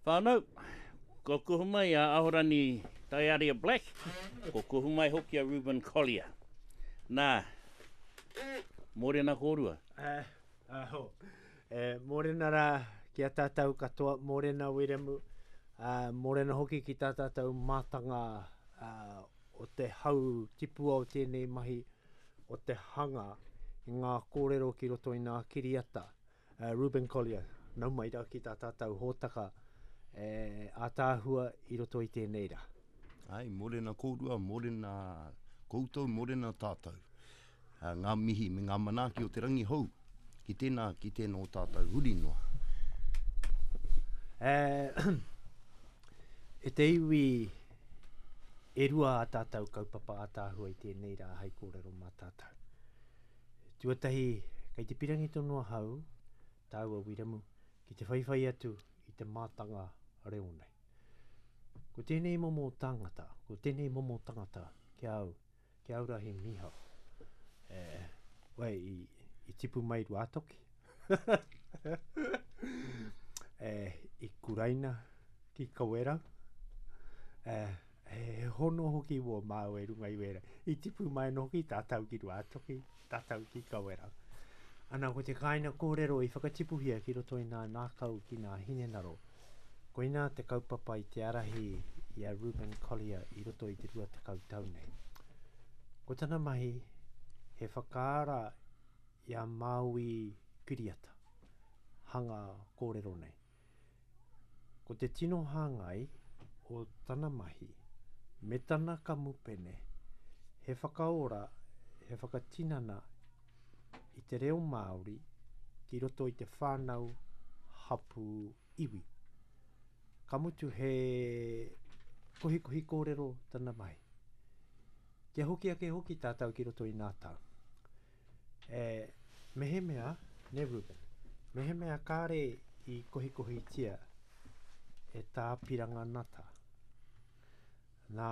Whānau, kua kuhu mai a Ahorangi Taiaria Black, kua kuhu mai hoki a Reuben Collier. Nā, mōrena kōrua. Eh, aho. Eh, mōrena rā ki a tātou katoa, mōrena Wiremu, uh, mōrena hoki ki tā tātou mātanga uh, o te hau tipua o tēnei mahi, o te hanga i ngā kōrero ki roto i ngā kiriata. Reuben Collier, nau mai rā ki tā tātou hōtaka e ātaahua i roto i tēnei rā. Ai, morena kōrua, morena koutou, morena tātou. Ngā mihi me ngā manaaki o te rangi hou ki tēnā, ki tēnā o tātou huri noa. E, e te iwi e rua a tātou kaupapa ātaahua i tēnei rā hei kōrero mā tātou. Tuatahi, kei te pirangi tonu ahau, tāua Wiremu, ki te whaiwhai atu i te mātanga reo nei. Ko tēnei momo tāngata, ko tēnei momo tangata ki a au, ki a au rā he mīharo. E, wai, i, i tipu mai Ruātoki. e, i kuraina ki Kawerau. E, He hono hoki wō māua i runga i wērā. I tipu mai anō hoki tātou ki Ruātoki, tātou ki Kawerau. Ana, ko te kāina kōrero i whakatipuhia ki roto i nā nākau ki nā hinengaro. Koinā te kaupapa i te arahi i a Reuben Collier i roto i te 20 tau nei. Ko tana mahi, he whakaara i a Māui Kiriata, hanga kōrero nei. Ko te tino hāngai o tana mahi me tana kamupene he whakaora, he whakatinana i te reo Māori ki roto i te whānau, hapū, iwi. Ka mutu he kohikohi kōrero tana mahi. Kia hoki ake hoki tātou ki roto i nā tau. E, mehemea, ne Reuben, mehemea kāre i kohikohitia e tā Piranga Nata, nā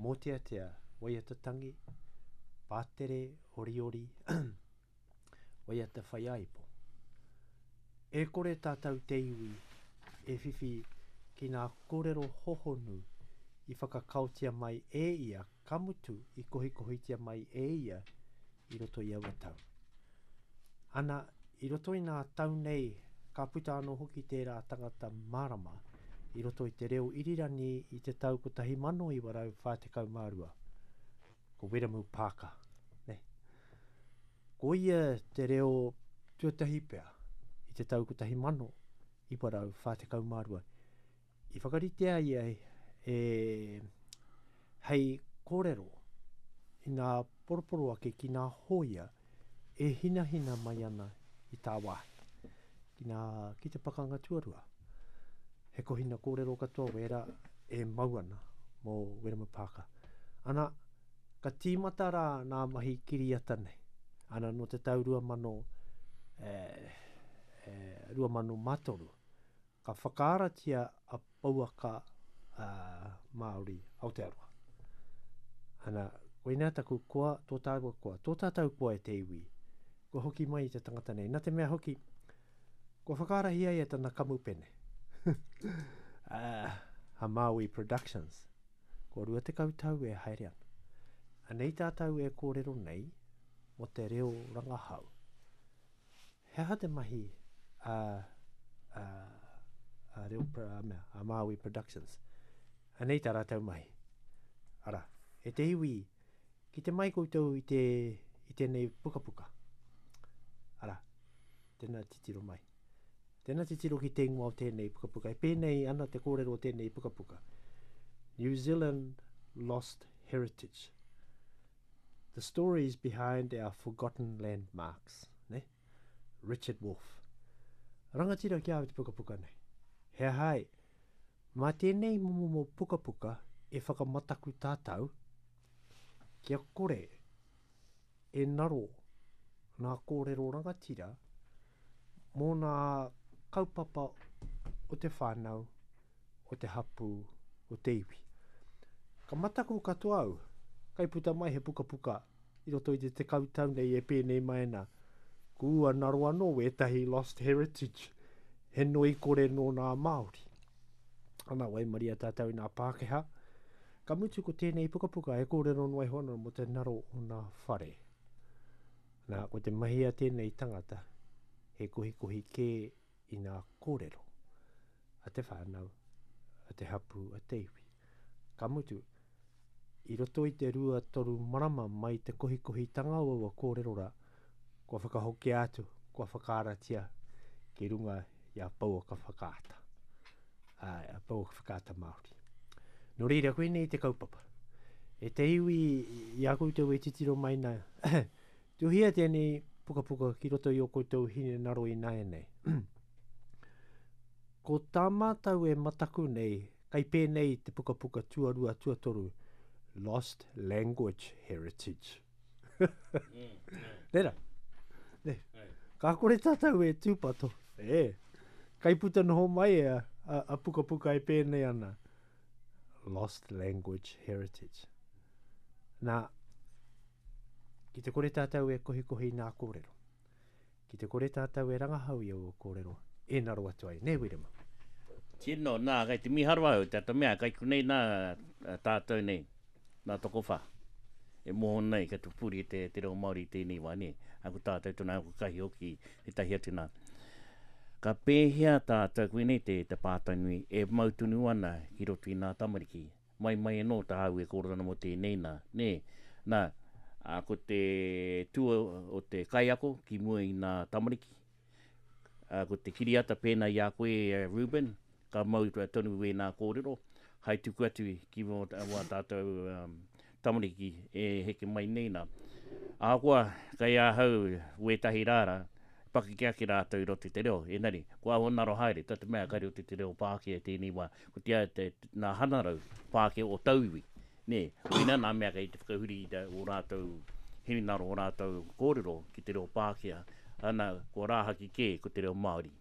mōteatea waiata tangi, pātere oriori, waiata whaiāipo. E kore tātou te iwi e whiwhi ki ngā kōrero hohonu i whakakaotia mai e ia ka mutu i kohikohitia mai e ia i roto i aua tau. Ana, i roto i ngā tau nei ka puta anō hoki tērā tangata mārama i roto i te reo irirangi i te tau 1942, ko Wiremu Parker, ne? Ko ia te reo tuatahi pea i te tau 1942 I whakaritea ia e hei kōrero i ngā poroporoaki ki ngā hōia e hinahina mai ana i tāwāhi, ki ngā, ki te pakanga tuarua. He kohina kōrero katoa wērā e mau ana mō Wiremu Parker. Ana, ka tīmata rā nā mahi kiriata nei. Ana, nō te tau 2000, e, e, 2003, Ka whakaaratia a Pouaka Māori Aotearoa. Ana, koinā taku koa, tō tāua koa, tō tātou koa e te iwi, kua hoki mai i te tangata nei. Nā te mea hoki, kua whakaarahia ia tana kamupene, a Māui Productions. Kua 20 tau e haere ana. Anei tātou e kōrero nei mō te reo rangahau. He aha te mahi a, a, a Reo, a, mea, a Māui Productions? Anei tā rātou mahi. Ara, e te iwi, ki te mai koutou i, te, i tēnei pukapuka. Ara, tēnā titiro mai. Tēnā titiro ki te ingoa o tēnei pukapuka. E pēnei ana te kōrero o tēnei pukapuka. New Zealand Lost Heritage. The stories behind our forgotten landmarks, ne? Richard Wolff. Rangatira ki a au te pukapuka nei. He aha ai? Mā tēnei momomo pukapuka e whakamataku tātou kia kore e naro ngā kōrero rangatira mō ngā kaupapa o te whānau, o te hapū, o te iwi. Ka mataku katoa au, kai puta mai he pukapuka i roto i te tekau tau nei e pēnei mai ana, kua naro anō wētahi lost heritage, he noi kore nō nā Māori. Ana, waimaria tātou i nā Pākehā. Ka mutu ko tēnei pukapuka e kōrero noa iho ana mō te ngaro o nā whare. Nā, ko te mahi a tēnei tangata, he kohikohi kē i nā kōrero a te whānau, a te hapū, a te iwi. Ka mutu, i roto i te 2-3 marama mai te kohikohitanga o aua kōrero rā, kua whakahokia atu, kua whakaaratia ki runga i a Pouaka Whakaata, āe, a Pouaka Whakaata Māori. Nō reira, koinei te kaupapa. E te iwi, i a koutou e titiro mai nā, tuhia tēnei pukapuka ki roto i ō koutou hinengaro ināianei. Ko tā mātou e mataku nei, kai pēnei te pukapuka tuarua, tuatoru, Lost Language Heritage. Nē rā? Nē. Ka kore tātou e tūpato. E. Kai puta noho mai a, a, a pukapuka e pēnei ana. Lost Language Heritage. Nā, ki te kore tātou e kohikohi nā kōrero, Ki te kore tātou e rangahau i aua kōrero, e ngaro atu ai, nē Wiremu? Tino, nā, kei te mīharo au, tā te mea, kei konei nā tātou nei, nā tokowhā, e moho nei, kei te pupuri te, te reo Māori i tēnei wā, nē, ā, ko tātou tonu, ā, ko Kahi hoki, tētahi atu nā. Ka pēhea tātou, koinei te, te pātai nui, e mau tonu ana ki roto i nā tamariki, Mai mai anō tāu e kōrero ana mō tēnei nā, nē? Nā, ā, ko te tū o te kaiako ki mua i nā tamariki, ā, ko te kiriata pēnā i a koe, Reuben, ka mau tonu wēnā kōrero, hai tuku atu ki wā tātou tamariki e heke mai nei nā. Ahakoa kei ahau wētahi rāra, pakeke ake rātou i roto i te reo, engari, kua aho ngaro haere, tā te mea kei roto i te reo Pākehā i tēnei wā, ko te, te, nā hanarau Pākehā o tauiwi, nē, koinā nā mea kei te whakahuri i ō rātou hinengaro, ō rātou kōrero ki te reo Pākehā, ana, kua rāhaki kē ko te reo Māori.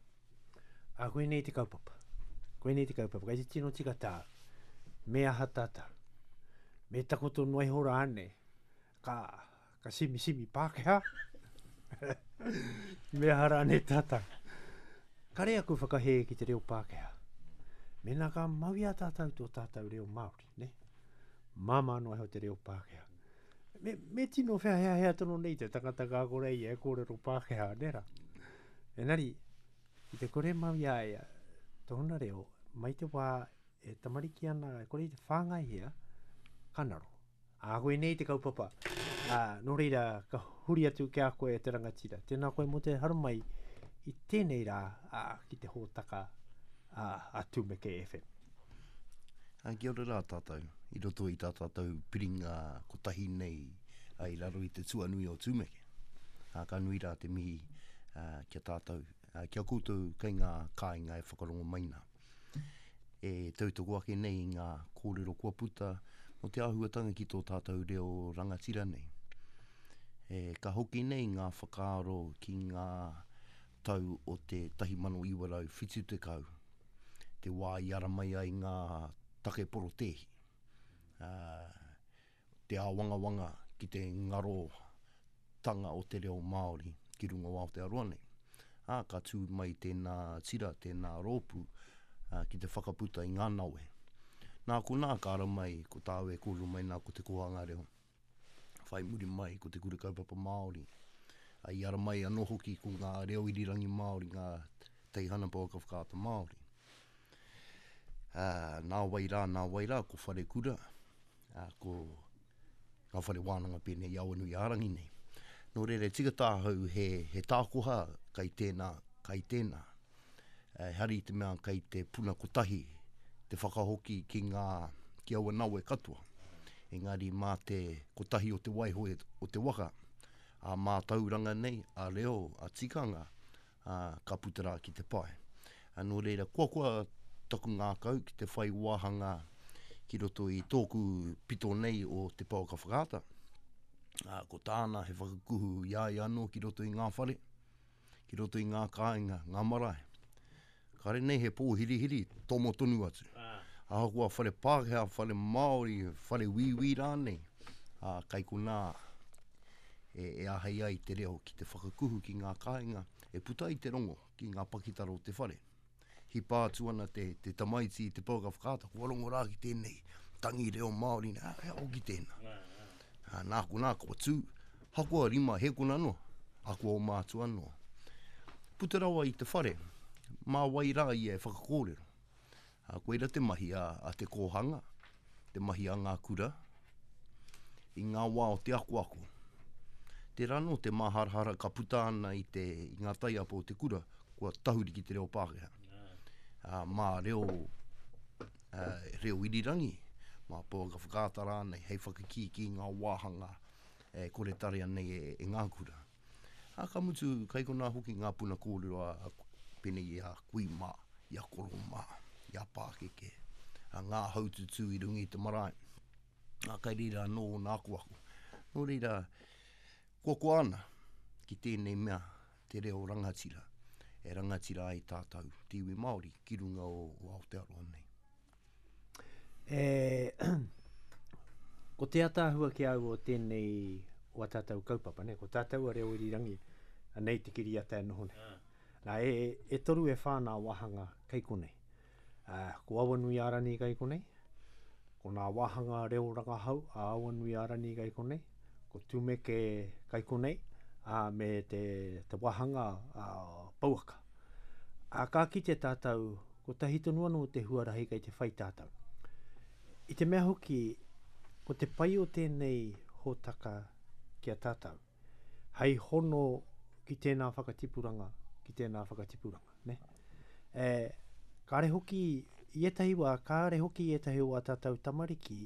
Ā, koinei te kaupapa. Koinei te kaupapa. Kei te tino tika tāu. Me aha tātou? Me takoto noa iho rānei? Ka, ka simisimi Pākehā? Me aha rānei tātou? Kare aku whakahē ki te reo Pākehā. Mēnā ka mau i a tātou tō tātou reo Māori, ne? Māmā noa iho te reo Pākehā. Me, me tino wheaheahea tonu nei te tangata ka kore ia e kōrero Pākehā, ne rā? Engari, ki te kore mau i a ia tōna reo, mai te wā e tamariki ana, e kore i te whāngaihia, ka ngaro. Ā, koinei te kaupapa. Ā, nō reira, ka huri atu ki a koe e te rangatira. Tēnā koe mō te haramai i tēnei rā, ā, ki te hōtaka ā, a Tumeke FM. Ā, kia ora rā tātou, i roto i tā tātou piringa kotahi nei i raro i te tuanui o Tumeke. Ā, ka nui rā te mihi ki a tātou, ki a koutou kei ngā kāinga e whakarongo mai nā. E tautoko ake nei i ngā kōrero kua puta mō te āhuatanga ki tō tātou reo rangatira nei. E, ka hoki nei ngā whakaaro ki ngā tau o te 1970, te wā i ara mai ai ngā take porotēhi. Ā, te āwangawanga ki te ngarotanga o te reo Māori ki runga o Aotearoa nei. Ā, ka tū mai tēnā tira, tēnā rōpū ki te whakaputa i ngā nawe. Nā konā ka ara mai ko tāu e kōrero mai nā ko te kōhanga reo. Whai muri mai ko te Kura Kaupapa Māori. Ā, i ara mai anō hoki ko ngā reo irirangi Māori, ngā teihana pouaka whakaata Māori. Ā, nā wai rā, nā wai rā, ko Wharekura, ā, ko ngā whare wānanga pēnei i Awanuiārangi nei. Nō reira, e tika tāhau he, he tākoha kai tēnā, kai tēnā. Ehara i te mea kei te puna kotahi te whakahoki ki ngā, ki aua nawe katoa. Engari mā te kotahi o te waihoe o te waka, ā mātauranga nei, ā reo, ā tikanga, ā, ka puta rā ki te pae. Ā, nō reira, kua koa taku ngākau ki te whai wāhanga ki roto i tōku pito nei o Te Pouaka Whakaata. Ā, ko tāna he whakakuhu i a ia anō ki roto i ngā whare, ki roto i ngā kāinga, ngā marae. Kāre nei he pōhirihiri, tomo tonu atu. Ahakoa whare Pākehā, whare Māori, whare Wīwī rānei, ā, kai konā e, e āhei ai te reo ki te whakakuhu ki ngā kāinga, e puta ai te rongo ki ngā pakitara o te whare. Hipa atu ana te, te tamaiti i te pouaka whakaata, kua rongo rā ki tēnei tangi reo Māori, nā, he hoki tēnā. Ā, nā konā kua tū, hakoa rima hēkona noa, hakoa oma atu anō. Puta rawa i te whare, mā wai rā ia e whakakōrero. Ā, koira te mahi a, a te kōhanga, te mahi a ngā kura, i ngā wā o te akoako. Tērā anō te māharahara ka puta ana i, te, i ngā taiapa o te kura, kua tahuri ki te reo Pākehā. Ā, mā reo, ā, reo irirangi, mā pouaka whakaata rānei, hei whakakīkī ngā wāhanga e kore tarea nei e, e ngā kura. Ā, ka mutu, kai konā hoki ngā puna kōrero a, a pēnei i a kui mā, i a koro mā, i a pākeke, a ngā haututū i runga i te marae. Ā, kai reira anō ōna akoako. Nō reira, koakoa ana ki tēnei mea, te reo rangatira, e rangatira ai tātou, te iwi Māori, ki runga o, o Aotearoa nei. E, ko te ataahua ki au o tēnei o a tātou kaupapa, ne? ko tātou a Reo Irirangi, anei te kiriata e noho nei. Ah. Nā, e, e toru e whā nā wāhanga kei konei. Uh, ko Awanuiārani kei konei, ko nā wāhanga reo rangahau a Awanuiārani kei konei, ko Tumeke kei konei, ā, me te, te wāhanga a Pouaka. Ā, ka kite tātou, kotahi tonu anō te huarahi kei te whai tātou. I te mea hoki, ko te pai o tēnei hōtaka ki a tātou, hei hono ki tēnā whakatipuranga, ki tēnā whakatipuranga, ne? E, kāre hoki, i ētahi wā, kāre hoki ētahi o ā tātou tamariki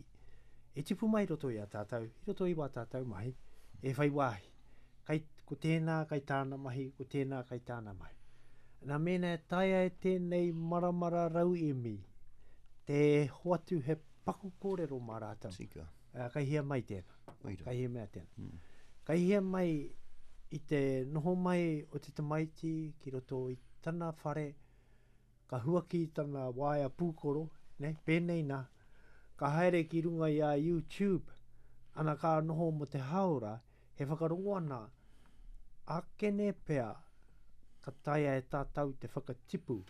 e tipu mai i roto i a tātou, i roto i wā tātou mahi, e whai wāhi. Kai, ko tēnā kai tāna mahi, ko tēnā kai tāna mahi. Nā mēnā e taea e tēnei maramara rauemi te hoatu he paku kōrero mā rātou. Tika. Uh, kai hea mai tēnā. Oira. Kai hea mea tēnā. Mm. Kai hea mai i te noho mai o te tamaiti ki roto i tana whare, ka huaki tana waea pūkoro, ne, pēnei nā, ka haere ki runga i a YouTube, ana ka noho mo te haora, he whakarongo ana, akene pea ka taea e tātou te whakatipu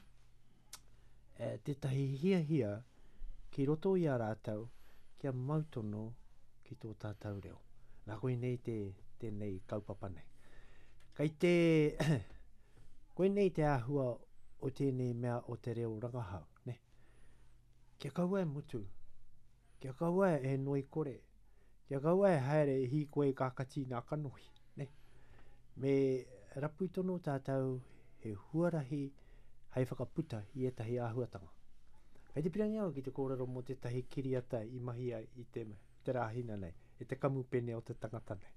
e, tētahi hiahia ki roto i a rātou kia mau tonu ki tō tātou reo. Nā koinei te, tēnei kaupapa nei. Kei te, koinei te āhua o tēnei mea o te reo rangahau, ne? Kia kaua e mutu, kia kaua e noi kore, kia kaua e haere e hīkoi ka kati nā kanohi, ne? Me rapu tonu tātou he huarahi hei whakaputa i ētahi āhuatanga. Kei te pirangi au ki te kōrero mō tētahi kiriata i mahia i te, te rāhina nei, e te kamupene o te tangata nei.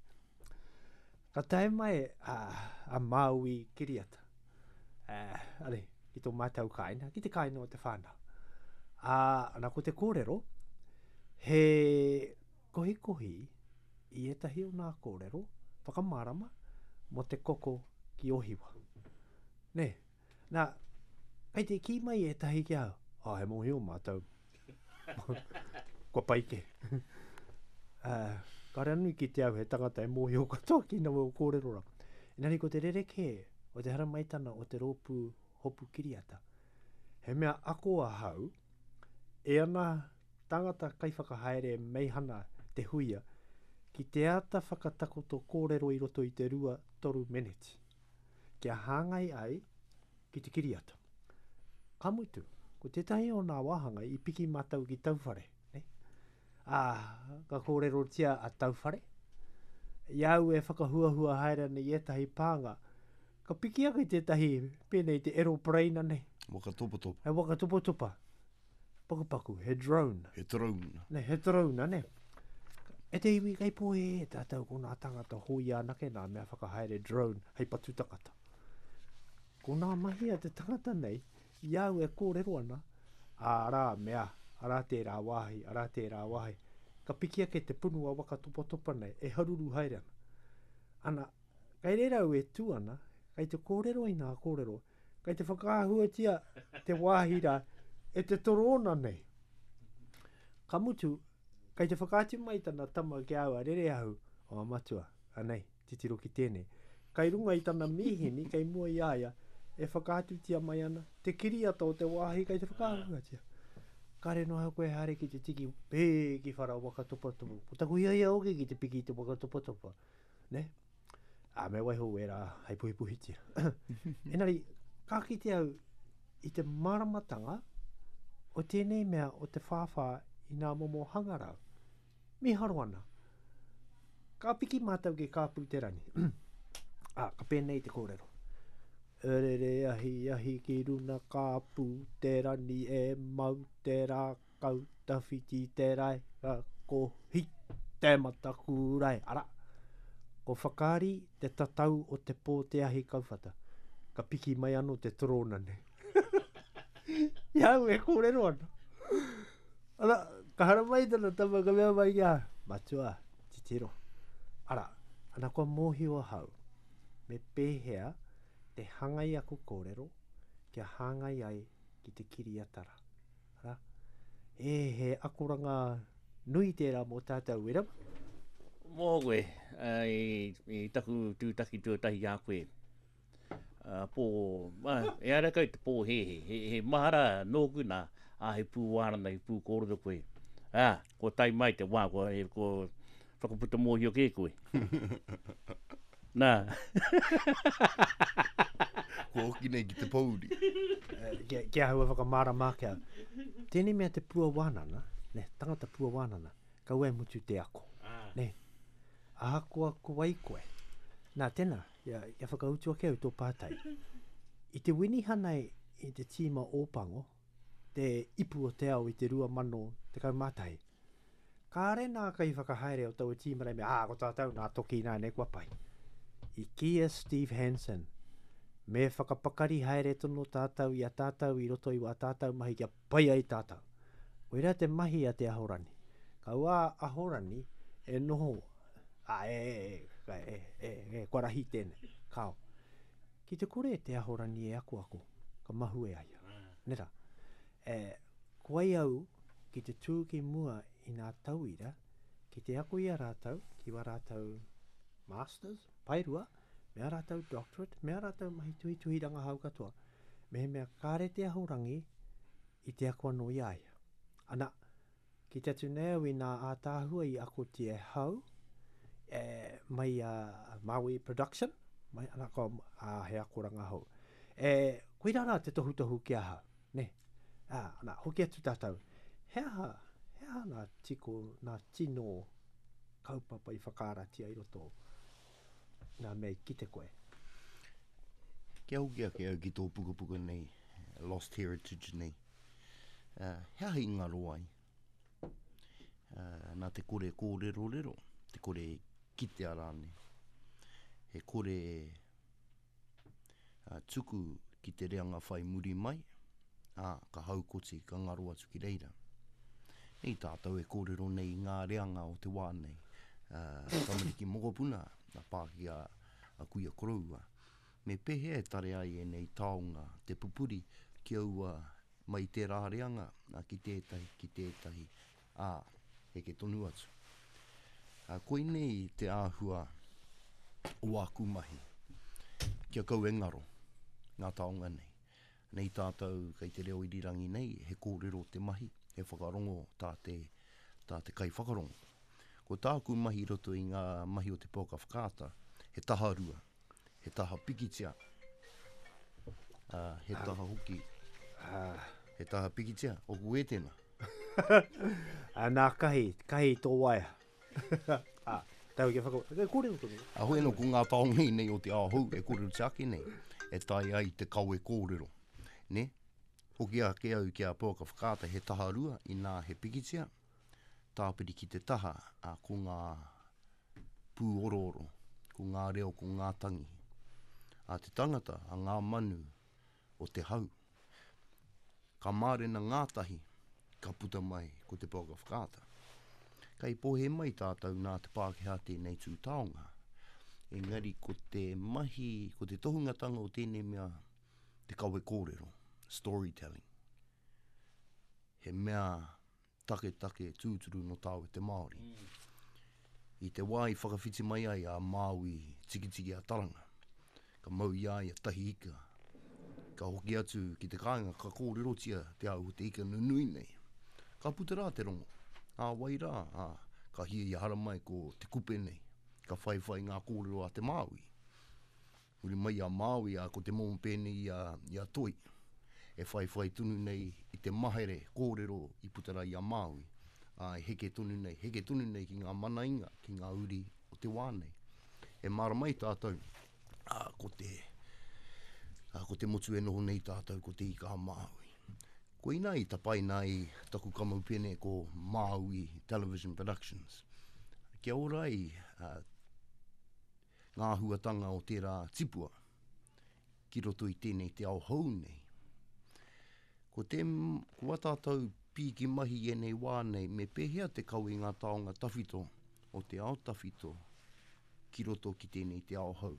Ka tae mai a, a Māui kiriata, uh, are, ki tō mātou kāina, ki te kāina o te whānau. Ā, ana ko te kōrero, he kohikohi i ētahi o nā kōrero whakamārama mō te koko ki Ohiwa. Nē, nā, kei te kī mai ētahi ki ahau, oh, he mōhio mātou, kua pai kē. Uh, kāre anō i kite au he tangata e mōhio katoa ki nawe o kōrero rā. Engari ko te rerekē o te haramaitana o te rōpū hopu kiriata, he mea ako ahau e ana tangata kaiwhakahaere meihana Te Huia ki te āta whakatakoto kōrero i roto i te 2-3 meneti, kia hāngai ai ki te kiriata. Ka mutu, ko tētahi o nā wāhanga i piki mātou ki Tauwhare, ne? Ā, ka kōrerotia a Tauwhare. I a au e whakahuahua haere ana i ētahi pānga, ka piki ake tētahi pēnei te eropareina nei. Waka topatopa. He waka topatopa. Pakupaku, he drone. He drone. Ne, he drone, ne. E te iwi kei pōhēhē tātou ko nā tangata hōia anake nā mea whakahaere drone hei patu tangata. Ko nā mahi a te tangata nei, i a au e kōrero ana, arā mea, arā tērā wāhi, arā tērā wāhi. Ka piki ake te punua waka topatopa nei, e haruru haere ana. Ana, kei reira au e tū ana, kei te kōrero i nā kōrero, Kei te whakaahuatia te wāhi rā e te torōna nei. Ka mutu, kei te whakaatu mai tana tama ki a au, a Rereahu, o a matua, anei, titiro ki tēnei. Kei runga i tana mīhini, kei mua i a ia, e whakaatutia mai ana te kiriata o te wāhi kei te whakaahuatia. Kāre noa koe haere ki te tiki pē ki whara waka topatopa. Ko taku hiahia hoki ki te piki i te waka topatopa. Ne? Ā, me waiho wērā hei puhipuhitia. Engari, ka kite au i te māramatanga o tēnei mea o te whāwhā i ngā momo hangarau. Mīharo ana. Ka piki mātou ki Kāpū te Rangi. Ā, ka pēnei te kōrero. Rere ahi ahi ki runa Kāpū te Rani e mau te rākau tawhiti te rae ka kohi te matakūrae. Arā, ko Whakaari te tatau o te pō te ahi kauwhata. Ka piki mai anō te torōna nei. I a au e kōrero ana. Ana, ka haramai tana tama, ka mea mai ki a, Matua, titiro. Ara, ana kua mōhio ahau, me pēhea te hangai aku kōrero kia hāngai ai ki te kiriatara. Ara, e, he akoranga nui tērā mō tātou, Wiremu. Mō koe, i, i taku tūtaki tuatahi ki a koe, pō, e ara kau te pōhēhē, he, he mahara nōku nā, ā, he pū wānanga, he pū kōrero koe. Ā, kua tae mai te wā, kua, e, kua whakaputa mōhio kē koe. Nā. Kua hoki nei ki te pōuri. Kia, kia ahau e whakamārama ake au. Tēnei mea te pua wānana, ne, tangata pua wānana, kaua e mutu te ako. Ne? Ahakoa ko wai koe. Nā, tēnā, kia, kia whakautu ake au tō pātai. I te winihana i te tīma Ōpango, te ipu o te ao i te 2011, kāre nā kaiwhakahaere o taua tīma nei mea, ā, ko tātou nā toki ināianei kua pai. I kī a Steve Hansen, me whakapakari haere tonu tātou i a tātou i roto i wā tātou mahi kia pai ai tātou. Koirā te mahi a te Ahorangi. Kaua a Ahorangi e noho, ā, e, e, e, e, e, kua rahi tēnei. Kāo. Ki te kore te Ahorangi e akoako, ka mahue a ia. Nē rā? E, ko ai au ki te tū ki mua i ngā tauira, ki te ako i a rātou, ki wā rātou masters, paerua, me ā rātou doctorate, me ā rātou mahi tuhituhi rangahau katoa, mehemea kāre te Ahorangi i te ako anō i a ia. Ana, kite atu nei au i nā ātaahua i akotia e hau, e, mai a Maui Production, mai, ana, ko, a, he akoranga hou. E, koirā rā te tohutohu ki ahau, ne? Ā, ana, hoki atu tātou. He aha, he aha nā tiko, nā tino kaupapa i whakaaratia i roto nā mea i kite koe? Kia hoki ake au ki tō pukapuka nei, Lost Heritage nei. Uh, he aha i ngaro ai? Uh, nā te kore kōrerorero, te kore kitea rānei. He kore uh, tuku ki te reanga whai muri mai, ā, ka haukoti, ka ngaro atu ki reira. Nei tātou e kōrero nei i ngā reanga o te wā nei, uh, tamariki mokopuna, a Pākehā, a kuia koroua. Me pēhea e tare ai ēnei taonga te pupuri ki aua mai tērā reanga ki tētahi, ki tētahi, ā, heke tonu atu. Ā, koinei te āhua o āku mahi, kia kau e ngaro ngā taonga nei. Nei tātou kei te reo irirangi nei, he kōrero te mahi, he whakarongo tā te, tā te kaiwhakarongo. Ko tāku mahi i roto i ngā mahi o te pouaka whakaata, he taharua, he taha pikitia, ā, he taha hoki, he taha pikitia, oku e tēnā. Ā, nā Kahi, Kahi tō waea. Ā, tau kia whaka... E kōrero tonu. A hoi anō, ko ngā taonga nei o te ao hou e kōrerotia ake nei, e taea ai te kawe kōrero. Nē? Hoki ake au ki a Pouaka Whakaata, he taharua, inā he pikitia, tāpiri ki te taha, ā, ko ngā pūorooro, ko ngā reo, ko ngā tangi a te tangata, a ngā manu o te hau. Ka mārena ngātahi, ka puta mai ko te pouaka whakaata. Kei pohe mai tātou nā te Pākehā tēnei tū taonga. Engari ko te mahi, ko te tohungatanga o tēnei mea te kawe kōrero, storytelling. He mea taketake tūturu nō tāua te Māori. I te wā i whakawhiti mai ai a Māui Tikitiki a Taranga, ka mau i a ia tahi ika. Ka hoki atu ki te kāinga, ka kōrerotia te au o te ika nunui nei. Ka puta rā te rongo. Ā wai rā, ā, ka hiahia haramai ko te kupe nei. Ka whaiwhai ngā kōrero a te Māui. Huri mai i a Māui, ā, ko te momo pēnei i a, i a Toi, e whaiwhai tonu nei i te mahere kōrero i puta rā i a Māui, ā, e heke tonu nei, heke tonu nei ki ngā manainga, ki ngā uri o te wā nei. E mārama ai tātou, ā, ko te, ā, ko te motu e noho nei tātou, ko Te Ika-a-Māui. Koinā i tapaina ai taku kamupene ko Māui Television Productions. Kia ora ai, ā, ngā āhuatanga o tērā tipua ki roto i tēnei te ao hou nei. Ko te, ko a tātou pīki mahi i ēnei wā nei, me pēhea te kawe i ngā taonga tawhito o te ao tawhito ki roto ki tēnei te ao hou.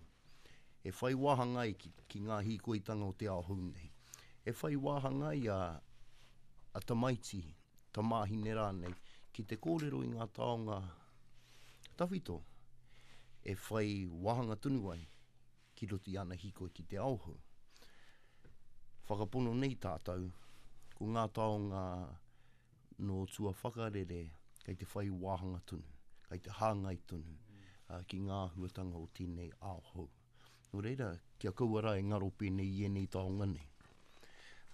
E whai wāhanga ai ki, ki ngā hīkoitanga o te ao hou nei. E whai wāhanga ai a, a tamaiti, tamāhine rānei, ki te kōrero i ngā taonga tawhito e whai wāhanga tonu ai ki roto i ana hīkoi ki te ao hou. Whakapono nei tātou, ko ngā taonga nō tua whakarere kei te whai wāhanga tonu, kei te hāngai tonu ki ngā āhuatanga o tēnei ao hou. Nō reira, kia kaua rā e ngaro pēnei i ēnei taonga nei.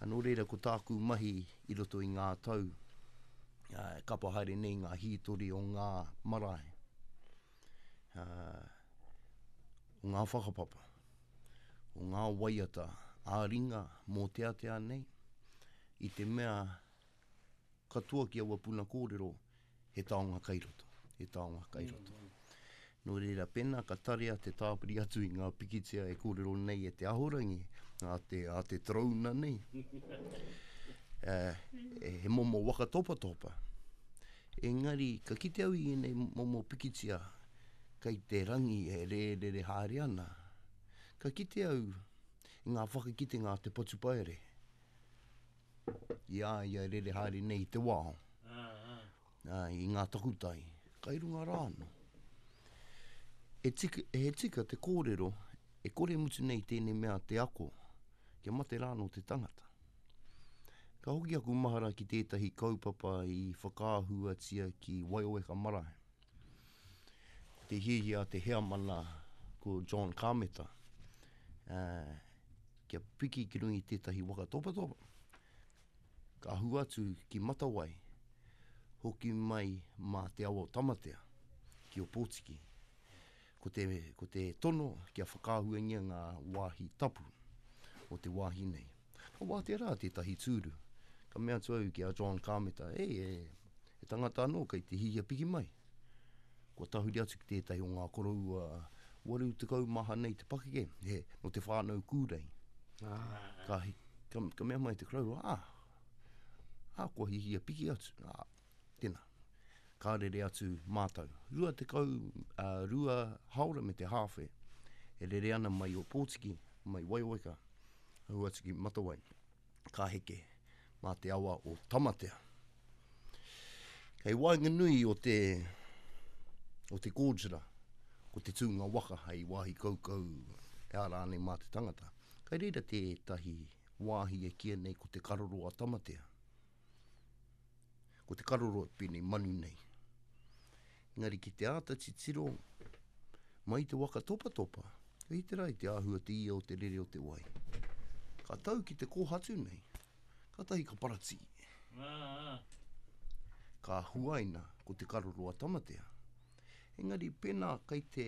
Nō reira, ko tāku mahi i roto i ngā tau, e kapa haere nei ngā hītori o ngā marae, o ngā whakapapa, o ngā waiata ā-ringa mōteatea nei, i te mea katoa ki aua puna kōrero, he taonga kai roto, he taonga kai roto. Nō reira, pēnā ka tarea te tāpiri atu i ngā pikitia e kōrero nei e te ahorangi, a te, a te torouna nei, eh, he momo waka topatopa. Engari, ka kite au i ēnei momo pikitia kei te rangi e rērere haere ana, ka kite au i ngā whakakitenga a te patupaiarehe. I a ia e rere haere nei i te wao, i ngā takutai, kai runga rā anō. E tika, he tika te kōrero, e kore mutu nei tēnei mea te ako, kia mate rā anō te tangata. Ka hoki aku mahara ki tētahi kaupapa i whakaahuatia ki Waioweka Marae. Ko te hiahia a te heamana ko John Kameta, kia piki ki runga i tētahi waka topatopa, ka ahu atu ki Matawai, hoki mai mā te awa o Tamatea, ki Ōpōtiki. Ko te, ko te tono kia whakaahuangia ngā wāhi tapu o te wāhi nei. Ka wātea rā tētahi tūru. Ka mea atu au ki a John Kāmeta, e, e, he tangata anō kei te hihia piki mai. Kua tahuri atu ki tētahi o ngā koroua 80 maha nei te pakeke, he, no te whānau kūrei. Ah. Ka, ka, ka mea mai te koroua, ah, ah, kua hihia piki atu. Ah, tēnā. Ka rere atu mātou. 20, uh, rua haora me te hāwhe e rere ana mai Ōpōtiki, mai Waioweka, ahu atu ki Matawai. Ka heke mā te awa o Tamatea. Kei waenganui o te, o te gorge rā, ko te tūnga waka hei wāhi kaukau e ara ana mā te tangata. Kei reira tētahi wāhi e kīia nei ko te karoro a Tamatea. Ko te karoro e pēnei manu nei. Engari ki te āta titiro mai te waka topatopa, kei te rā i te āhua te ia o te rere o te wai. Ka tau ki te kōhatu nei, Kātahi ka paratī. Ka huaina ko te karoro a Tamatea. Engari pēnā kei te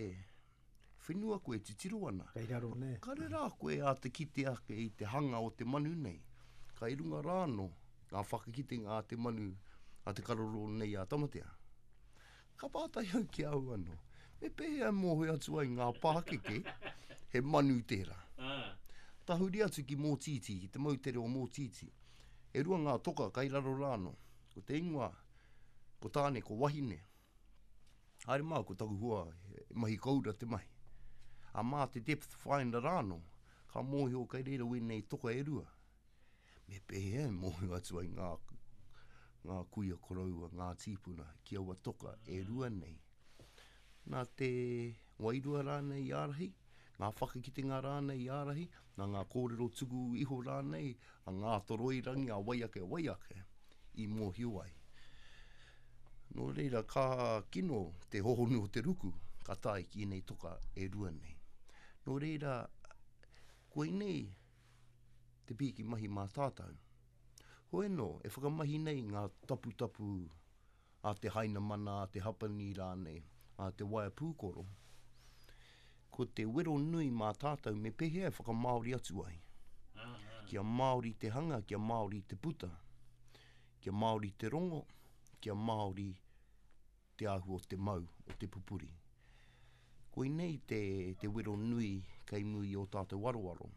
whenua koe titiro ana. Kei raro nē. Kare rā koe āta kite ake i te hanga o te manu nei. Kai runga rā anō ngā whakakitenga a te manu, a te karoro nei a Tamatea. Ka pātai au ki a au anō, me pēhea e mōhio atu ai ngā pākeke he manu tērā? Tahuri atu ki Mōtītī, ki te moutere o Mōtītī. E rua ngā toka kai raro rā anō. Ko te ingoa, ko tāne, ko wahine. Haere mā, ko taku hoa, he mahi koura te mahi. A mā te depth finder rā anō, ka mōhio kai reira wēnei toka e rua. Me pēhea e mōhio atu ai ngā, ngā kuia koroua, ngā tīpuna ki aua toka e rua nei? Nā te wairua rānei i ārahi? ngā whakakitenga rānei i ārahi, nā ngā kōrero tuku iho rānei a Ngātoroirangi, a wai ake, a wai ake, i mōhio ai. Nō reira, ka kino te hohonu o te ruku, ka tae ki ēnei toka e rua nei. Nō reira, koinei te pīki mahi mā tātou. Hoi anō, e whakamahi nei ngā taputapu a te Hainamana, a te Hapani rānei, a te waea pūkoro, ko te wero nui mā tātou me pēhea e whakamāori atu ai. Kia Māori te hanga, kia Māori te puta, kia Māori te rongo, kia Māori te āhua o te mau, o te pupuri. Koinei te, te wero nui kei muri i ō tātou aroaro,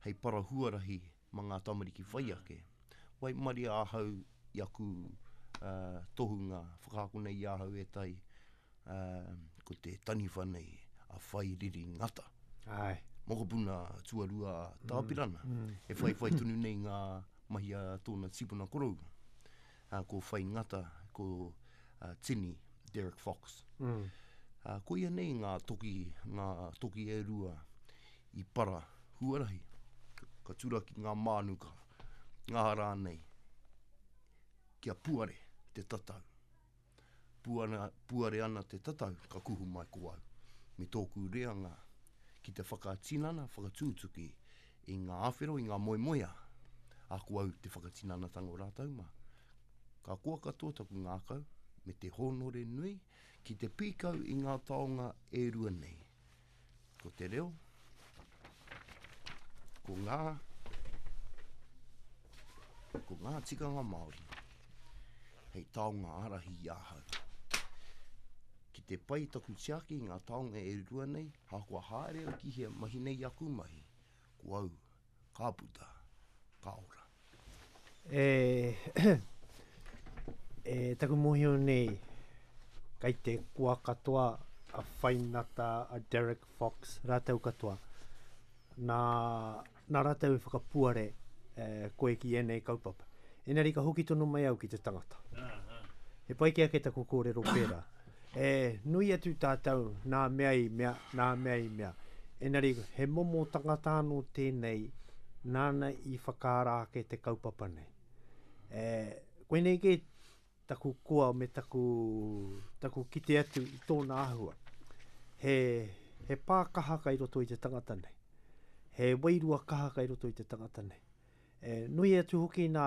hei para huarahi mā ngā tamariki whai ake. Waimaria ahau i aku uh, tohunga whakaako nei i ahau e tai, uh, ko te taniwha nei a Whairiri Ngata. Ai. Mokopuna tuarua mm, Tāpirana. Mm, mm. E whaiwhai tonu nei ngā mahi a tōna tipuna koroua. Uh, ko Whai Ngata, ko uh, Tini, Derek Fox. Mm. Uh, ko ia nei ngā toki, ngā toki e rua i para huarahi, ka turaki ngā mānuka, ngā rānei, kia puare te tatau. Puana, puare ana te tatau, ka kuhu mai ko au, me tōku reanga ki te whakatinana, whakatūtuki i ngā āwhero, i ngā moemoeā, a ko au te whakatinanatanga o rātou mā. Ka koa katoa taku ngākau, me te hōnore nui ki te pīkau i ngā taonga e rua nei. Ko te reo, ko ngā, ko ngā tikanga Māori hei taonga ārahi i ahau. Ki te pai taku tiaki i ngā taonga e rua nei, ahakoa haere au ki hea mahi nei aku mahi, ko au ka puta, ka ora. E, e taku mōhio nei, kei te koa katoa a Whainata, a Derek Fox, rātou katoa. Nā, nā rātou i whakapuare e, koe ki ēnei kaupapa. Engari ka hoki tonu mai au ki te tangata. He pai kē ake taku kōrero pērā. E nui atu tātou nā mea i mea, nā mea i mea. Engari he momo tangata anō tēnei nāna i whakaara ake te kaupapa nei. E, koinei kē taku koa me taku, taku kite atu i tōna āhua. He, he pā kaha kai roto i te tangata nei. He wairua kaha kai roto i te tangata nei. E nui atu hoki nā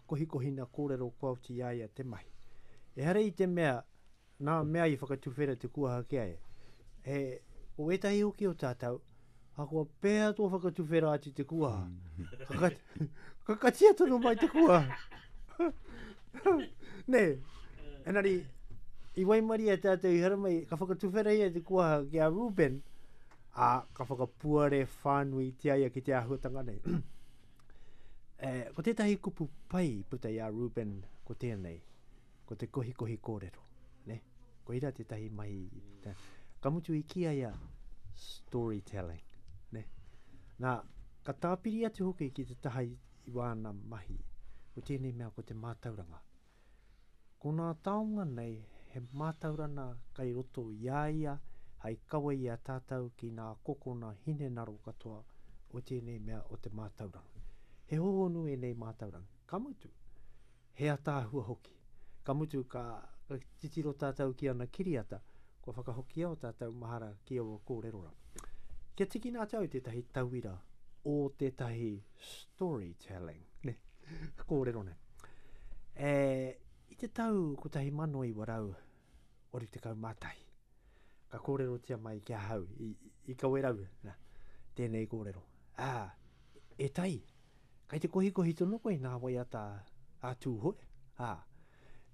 kohikohina kōrero kua oti i a ia te mahi. Ehara i te mea, nā mea i whakatuwhera te kuaha ki a ia. He, ko ētahi hoki o tātou, ahakoa pēhea tō whakatuwhera atu te kuaha, ka, ka katia tonu mai te kuaha. Nē, engari, i waimaria tātou i haramai, ka whakatuwhera ia te kuaha ki a Reuben, ā, ka whakapuare whānuitia ia ki te āhuatanga nei. e, ko tētahi kupu pai i puta i a Reuben ko tēnei, ko te kohikohi kōrero. Ne? Koira tētahi mahi i puta. Ka mutu i kī ia storytelling. Ne? Nā, ka tāpiri atu hoki ki te taha i, i wāna mahi, ko tēnei mea ko te mātauranga. Ko nā taonga nei he mātaurana kai roto i a ia hai kawe i a tātau ki nā kokona hinenaro katoa o tēnei mea o te mātauranga. He hohonu ēnei mātauranga, ka mutu, he ataahua hoki. Ka mutu ka titiro tātau ki ana kiriata, kua whakahokia o tātau mahara ki aua kōrero rā. Kia tikina atu au tētahi tauira o tētahi storytelling, ne, kōrero nei. E, i te tau 1981, ka kōrerotia mai ki ahau, i, i Kawerau, na, tēnei kōrero. Ā, e tai, kai te kohikohi tonu koe nā waiata a Tūhoe, ā,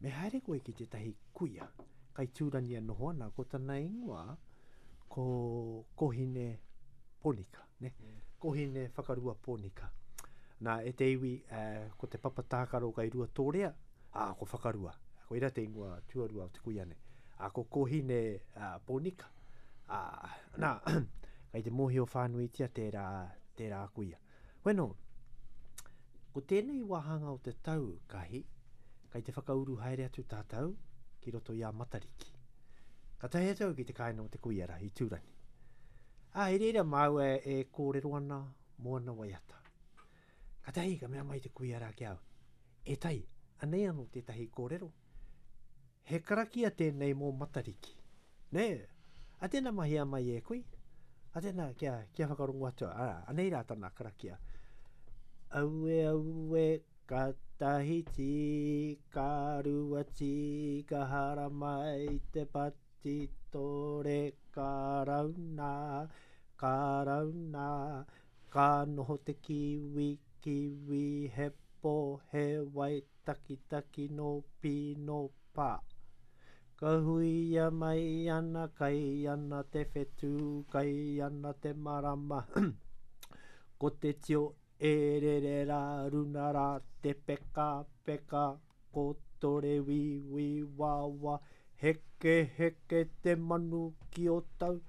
me haere koe ki tētahi kuia, kai Tūrangi e noho ana, ko tana ingoa, ko Kohine Ponika, ne? Mm. Kohine Whakarua Ponika. Nā, e te iwi, eh, ko te papa tākaro kai Ruatōrea, ā, ko Whakarua. Koira te ingoa tuarua o te kuia nei. Ā, ko Kohine uh, Ponika. Ā, nā, kai te mōhio whānuitia tērā, tērā kuia. Bueno, ko tēnei wāhanga o te tau, Kahi, kai te whakauru haere atu tātou ki roto i a Matariki. Ka tae atu au ki te kāinga o te kuia rā, i Tūrangi. Ā, i reira māua e kōrero ana mō ana waiata. Katahi ka mea mai te kuia rā ki a au, E Tai, anei anō tētahi kōrero. He karakia tēnei mō Matariki. Nē? A tēnā mahia mai e kui. A tēnā, kia, kia whakarongo atu. Arā, anei rā tana karakia. Aue, aue, ka tahi tī, ka rua tī, ka haramai te patitore, ka rauna, ka rauna, Ka noho te kiwi, kiwi, he po, he wai, takitaki no pi no pa. Ka huia mai ana, kai ana te whetū, kai ana te marama, ko te tio e rere rā, runa rā te peka, peka, ko tore wīwī wawa, heke heke te manu ki o tau,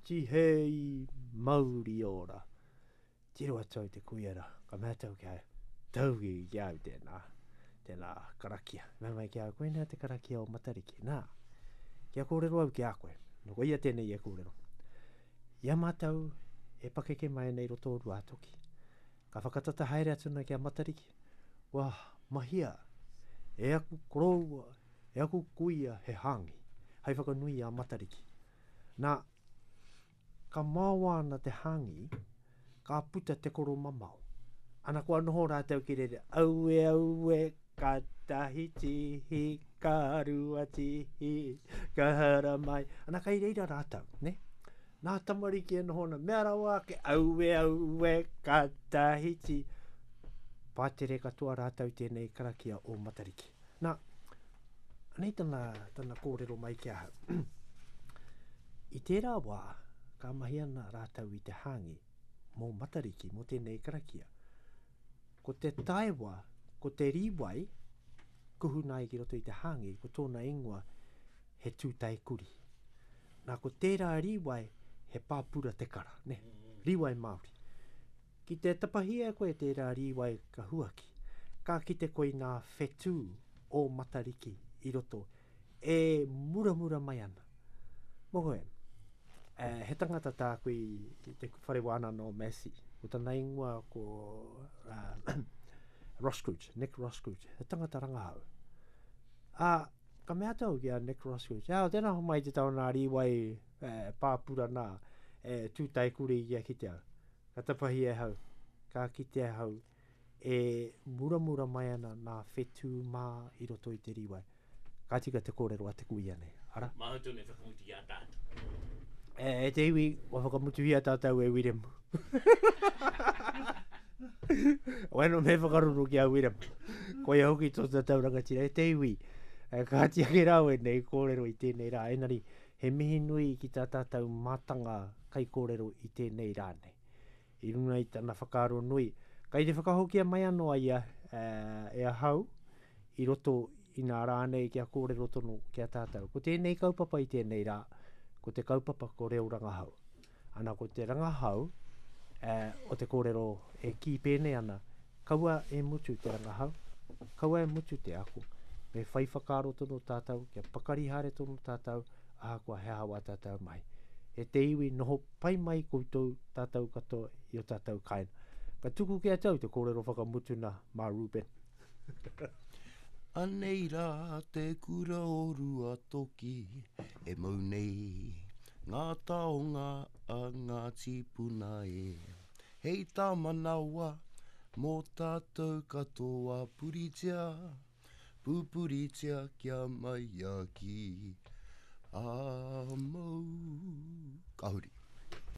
tihei mauri ora. Tiro atu au te kuia ra, ka mea atu au ki a ia, tauki ki a au tēnā, tēnā karakia. Mea mai ki a au, koinā te karakia o Matariki. Nā, kia kōrero au ki a koe, nō koia tēnei e kōrero. I a mātou e pakeke mai ana i roto o Ruātoki, Ka whakatata haere atu ana ki a Matariki, Kua mahia e aku koroua, e aku kuia he hāngi, hei whakanui i a Matariki. Nā, ka maoa ana te hāngi, ka puta te koromamao. Ana kua noho rātou ki reira, aue, aue, ka tahi tihi, ka rua tihi, ka haramai. Ana kai reira rātou, ne? Nā tamariki e noho ana, mea rawa ake, aue, aue, ka tahiti. Pātere katoa rātou tēnei karakia o Matariki. Nā, anei tana, tana kōrero mai ki ahau. I tērā wā, ka mahi ana rātou i te hāngi mō Matariki, mō tēnei karakia. Ko te taewa, ko te rīwai, kuhuna ai ki roto i te hāngi, ko tōna ingoa he tūtae kuri. Nā, ko tērā rīwai, he pāpura te kara, ne? Rīwai Māori. Ki te tapahia e koe tērā rīwai ka huaki, ka kite koe i ngā whetū o Matariki i roto e muramura mai ana. Mō koe, eh, he tangata tāku i te whare wānanga o Massey. Ko tana ingoa ko uh, Roskruge, Nick Roskruge, he tangata rangahau. Ā, ka mea atu au ki a Nick Roskruge, Ā, tēnā homai te tau nā rīwai e, pāpura nā, e tūtae kuri kia kite au. Ka tapahi e hau, ka kite ahau e muramura mai ana nā whetū mā i roto i te rīwai. Ka tika te kōrero a te kuia nei, ara. Māu tonu e whakamutu i a tātou. E, e te iwi, kua whakamutuhia tātou e Wiremu. Weno me whakaruru ki a Wiremu. Koia hoki tō tātou rangatira. E te iwi, e, kāti ake rā wēnei kōrero i tēnei rā. Engari, he mihi nui ki tā tātou mātanga kaikōrero i tēnei rā nei. I runga i tana whakaaro nui, kai te whakahokia mai anō a ia e ahau i roto i nā rā nei kia kōrero tonu ki a tātou. Ko tēnei kaupapa i tēnei rā, ko te kaupapa ko reo rangahau. Ana ko te rangahau o te kōrero e kī pēnei ana, kaua e mutu te rangahau, kaua e mutu te ako, me whai whakaaro tonu tātou, kia pakari haere tonu tātou, ahakoa he aha wā tātou mahi. E te iwi, noho pai mai koutou, tātou katoa i o tātou kāinga. Ka tuku ki a tau te kōrero whakamutuna mā Reuben. Anei rā te kura o Ruatoki e mau nei ngā taonga a ngā tīpuna e. Hei tā manawa mō tātou katoa puritia, pupuritia kia maia ki a mau. Ka huri.